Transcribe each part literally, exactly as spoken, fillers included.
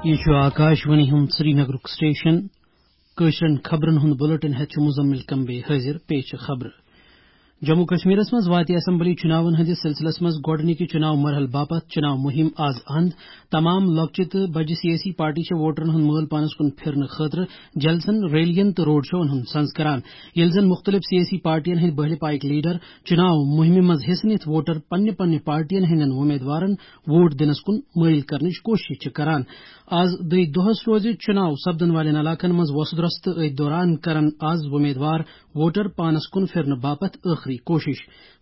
یہِ چھُ آکاش وانی ہُنٛد سرینگرُک سٹیشن۔ کٲشرٮ۪ن خبرن ہُنٛد بلیٹن ہٮ۪تھ چھُ مزمل کمبے حٲضِر۔ پیش چھِ خبرٕ۔ جموں کشمیرس منٛز واتہِ اسمبلی چُناون ہٕنٛدِس سلسلس منٛز گۄڈٕنِکہِ چُناو مرحلہٕ باپتھ چُناو مُہِم آز اند۔ تمام لۄکچہِ تہٕ بجہِ سیٲسی پارٹی چھےٚ ووٹرن ہُنٛد مٲل پانس کُن پھِرنہٕ خٲطرٕ جلسن، ریلین تہٕ روڈ شوون ہُنٛد سنز کران، ییٚلہِ زن مُختٔلِف سیٲسی پارٹین ہٕنٛدۍ بٔہلہِ پایِکۍ لیڈر چُناو مُہِمہِ منٛز حصہٕ نِتھ ووٹر پننہِ پننہِ پارٹین ہٕنٛدٮ۪ن وۄمیدوارن ووٹ دِنس کُن مٲیِل کرنٕچ کوٗشش چھِ کران۔ آز دٔے دۄہس روزِ چُناو سپدن والٮ۪ن علاقن منٛز وۄسہٕ درۄس تہٕ أتھۍ دوران کرن آز وۄمیدوار ووٹر پانس کُن پھِرنہٕ باپتھ ٲخری کوٗشش۔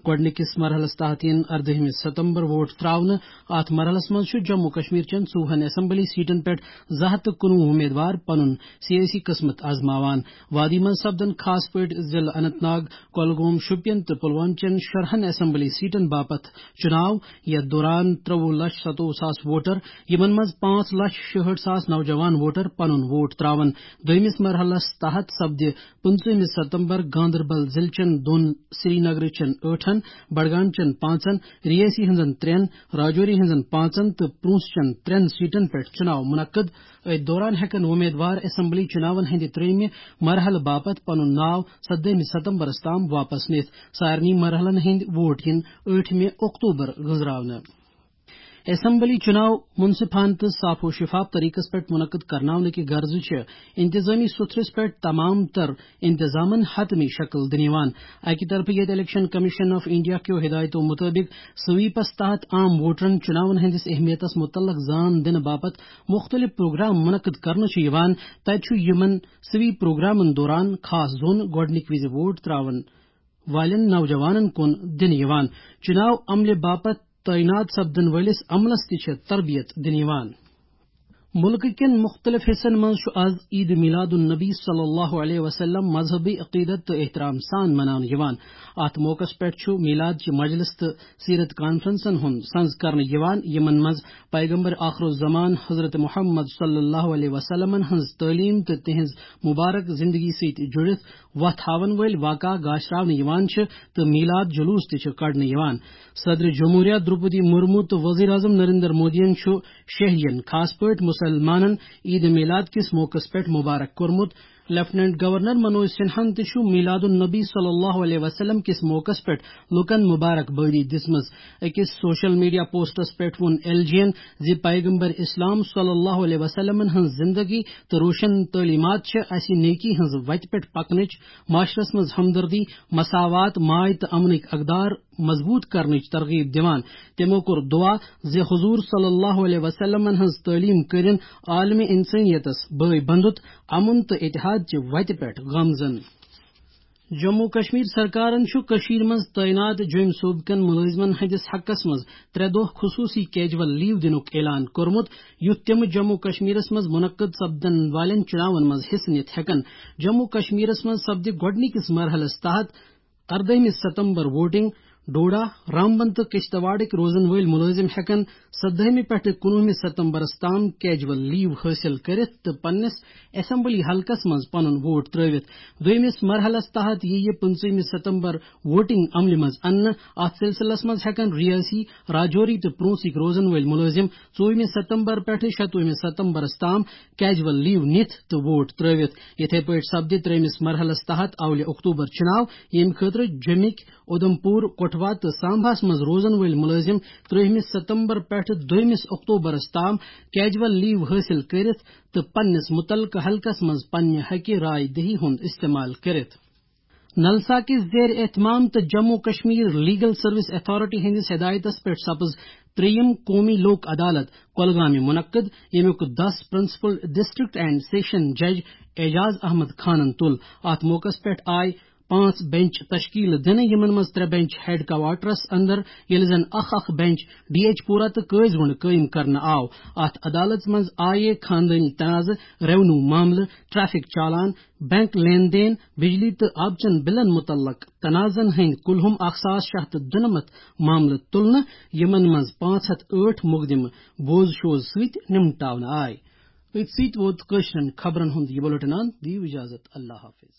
گۄڈٕنِکِس مرحلس تحت یِن اردٲہمہِ ستمبر ووٹ تراونہٕ۔ اتھ مرحلس منٛز چھُ جموں کشمیر چٮ۪ن ژوٚوُہن اسمبلی سیٹن پٮ۪ٹھ زٕ ہتھ تہٕ کُنوُہ وۄمیدوار پنُن سیٲسی قسمت آزماوان۔ وادی منٛز سپدن خاص پٲٹھۍ ضلعہٕ اننت ناگ، کۄلگوم، شوپین تہٕ پلوامہ چٮ۪ن شُراہن اسمبلی سیٹن باپتھ چُناو، یتھ دوران ترٛوُہ لچھ ستووُہ ساس ووٹر، یِمن منٛز پانٛژھ لچھ شُہٲٹھ ساس نوجوان ووٹر پنُن ووٹ تراون۔ دوٚیمِس مرحلس تحت سپدِ پٕنٛژٕہمہِ ستمبر گاندربل ضلعہٕ چٮ۪ن دۄن، سرینگر چٮ۪ن ٲٹھن، بڈگام چٮ۪ن پانٛژن، رِیٲسی ہٕنٛزن ترٛٮ۪ن، راجوری ہٕنٛزن پانٛژن تہٕ پونٛژھ چٮ۪ن ترٛٮ۪ن سیٹن پٮ۪ٹھ چُناو منعقد۔ أتھۍ دوران ہٮ۪کن وۄمیدوار اسمبلی چُناون ہٕنٛدِ ترٛیٚیمہِ مرحلہٕ باپتھ پنُن ناو سدٲہمہِ ستمبرس تام واپس نِتھ۔ سارنٕے مرحلن ہٕنٛدۍ ووٹ یِن ٲٹھمہِ اکتوبر گُزراونہٕ۔ اسمبلی چُناو منصفانہٕ تہٕ صاف و شفاف طریقس پٮ۪ٹھ منعقد کرناونہٕ کہِ غرضہٕ چھِ انتظامی سُتھرس پٮ۪ٹھ تمام تر انتظامن حتمی شکل دِنہٕ یِوان۔ اکہِ طرفہٕ ییٚتہِ الیکشن کمیشن آف انڈیا کیو ہدایتو مطٲبق سویپس تحت عام ووٹرن چُناون ہٕنٛدِس اہمیتس متعلق زان دِنہٕ باپتھ مُختٔلِف پروگرام منعقد کرنہٕ چھِ یِوان، تتہِ چھُ یِمن سویپ پروگرامن دوران خاص زوٚن گۄڈٕنِکۍ وِزِ ووٹ تراون والٮ۪ن نوجوانن کُن دِنہٕ یِوان۔ چُناو عملہِ باپتھ تعینات سپدن وٲلِس عملس تہِ چھِ تربیت دِنہٕ یِوان۔ مُلکہٕ کٮ۪ن مُختٔلِف حِصن منٛز چھُ آز عید میلاد النبی صلی اللہ علیہ وسلم مذہبی عقیدت تہٕ احترام سان مناونہٕ یِوان۔ اتھ موقعس پٮ۪ٹھ چھُ میلاد چہِ مجلس تہٕ سیرت کانفرنسن ہُنٛد سنز کرنہٕ یِوان، یِمن منٛز پیغمبر آخر الزمان حضرت محمد صلی اللہ علیہ وسلمن ہٕنٛز تعلیٖم تہٕ تِہنٛز مبارک زندگی سۭتۍ جُڑِتھ وتھ ہاون وٲلۍ واقعہ گاشراونہٕ یِوان چھِ تہٕ میلاد جلوس تہِ چھِ کڑنہٕ یِوان۔ صدر جمہوریہ درٛوپدی مرمو تہٕ وزیر اعظم نریندر مودیَن چھُ شہرین، خاص پٲٹھۍ مسلمانن، عید میلاد کِس موقعس پٮ۪ٹھ مبارک کوٚرمُت۔ لیفٹیننٹ گورنر منوج سنہاہن تہِ چھُ میلاد النبی صلی اللہ علیہ وسلم کِس موقعس پٮ۪ٹھ لوٗکن مبارک بٲدی دِژمٕژ۔ أکِس سوشل میڈیا پوسٹس پٮ۪ٹھ ووٚن ایل جی ین زِ پیغمبر اسلام صلی اللہ علیہ وسلمن ہٕنٛز زندگی تہٕ روشن تعلیمات چھِ اسہِ نیکی ہٕنٛز وتہِ پٮ۪ٹھ پکنٕچ، معاشرس منٛز ہمدردی، مساوات، ماے تہٕ امنٕکۍ اقدار مضبوط کرنٕچ ترغیب دِوان۔ تِمو کوٚر دعا زِ حضور صلی اللہ علیہ وسلمن ہٕنٛز تعلیٖم کٔرِن عالمِ انسٲنیتس بٲے بندُت، امن تہٕ اتحاد چہِ وتہِ پٮ۪ٹھ گامزن۔ جموں کشمیر سرکارن چھُ کٔشیٖر منٛز تعینات جوٚمۍ صوبہٕ کٮ۪ن مُلٲزمن ہٕنٛدِس حقس منٛز ترٛےٚ دۄہ خصوٗصی کیجول لیو دِنُک اعلان کوٚرمُت، یُتھ تِم جموں کشمیرس منٛز منعقد سپدن والٮ۪ن چُناون منٛز حصہٕ نِتھ ہٮ۪کن۔ جموں کشمیرس منٛز سپدِ گۄڈٕنِکِس مرحلس تحت اردٲہمہِ ستمبر ووٹنگ۔ ڈوڈا، رامبن تہٕ کشتواڑٕکۍ روزن وٲلۍ مُلٲزم ہٮ۪کن سدٲہمہِ پٮ۪ٹھٕ کُنوُہمہِ ستمبرس تام کیجول لیو حٲصِل کٔرِتھ تہٕ پننِس اسمبلی حلقس منٛز پنُن ووٹ ترٲوِتھ۔ دوٚیمِس مرحلس تحت یِیہِ پٕنٛژٕہمہِ ستمبر ووٹنگ عملہِ منٛز اننہٕ۔ اتھ سلسلس منٛز ہٮ۪کن ریٲسی، راجوری تہٕ پرونسٕکۍ روزن وٲلۍ مُلٲزم ژوٚوُہمہِ ستمبر پٮ۪ٹھٕ شتوُہمہِ ستمبرس تام کیجول لیو نِتھ تہٕ ووٹ ترٲوِتھ۔ یِتھے پٲٹھۍ سپدِ ترٛیٚیمِس مرحلس تحت اولہِ اکتوبر چُناو، ییٚمہِ خٲطرٕ جوٚمِکۍ اُدھمپور، کٹھوا تہٕ سامباہس منٛز روزن وٲلۍ مُلٲزِم ترٛیٚیِمہِ ستمبر پٮ۪ٹھٕ دوٚیمِس اکتوبرس تام کیجول لیو حٲصِل کٔرِتھ تہٕ پننِس مُتعلقہٕ حلقس منٛز پننہِ حقہِ راے دہی ہُنٛد استعمال کٔرِتھ۔ نلسا کِس زیر اہتمام تہٕ Jammu Kashmir legal service authority ہٕنٛدِس ہدایتس پٮ۪ٹھ سپٕز ترٛیٚیِم قومی لوک عدالت کۄلگامہِ منعقد، ییٚمیُک دَس پرنسپل ڈسٹرکٹ اینڈ سیشن جج اعجاز احمد خانن تُل۔ اتھ موقعس پٮ۪ٹھ آیہِ پانٛژھ بینچ تشکیل دِنہٕ، یِمن منٛز ترٛےٚ بینچ ہیڈ کوارٹرس اندر، ییٚلہِ زن اکھ اکھ بینچ ڈی ایچ پورہ تہٕ قٲضۍ گُنڈ قٲیِم کرنہٕ آو۔ اتھ عدالتس منٛز آیہِ خاندٲنی تنازٕ، ریونیو معاملہٕ، ٹریفک چالان، بینک لین دین، بجلی تہٕ آبہٕ چٮ۪ن بلن متعلق تنازعن ہٕنٛدۍ کُلہُم اکھ ساس شےٚ ہتھ تہٕ دُنمتھ معاملہٕ تُلنہٕ، یِمن منٛز پانٛژھ ہتھ ٲٹھ مقدمہٕ بوز شوز سۭتۍ نمٹاونہٕ آے۔ أتھۍ سۭتۍ ووت کٲشرٮ۪ن خبرن ہُنٛد یہِ بُلٹن اند۔ دِیِو اجازت، اللہ حافظ۔